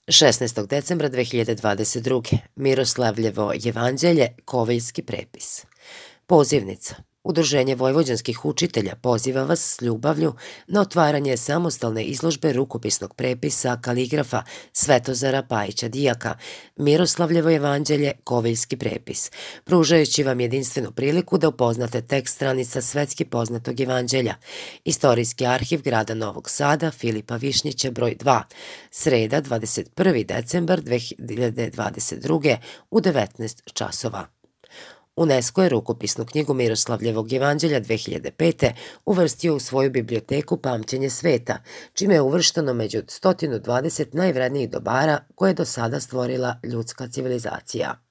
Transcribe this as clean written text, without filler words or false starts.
16. decembra 2022. Miroslavljevo jevanđelje, Koviljski prepis. Pozivnica. Udruženje vojvođanskih učitelja poziva vas s ljubavlju na otvaranje samostalne izložbe rukopisnog prepisa kaligrafa Svetozara Pajića Dijaka, Miroslavljevo jevanđelje, Koviljski prepis, pružajući vam jedinstvenu priliku da upoznate tekst stranica svetski poznatog jevanđelja. Istorijski arhiv grada Novog Sada, Filipa Višnjića, broj 2, sreda 21. decembar 2022. u 19 časova. UNESCO je rukopisnu knjigu Miroslavljevog jevanđelja 2005. uvrstio u svoju biblioteku Pamćenje sveta, čime je uvršteno među 120 najvrednijih dobara koje je do sada stvorila ljudska civilizacija.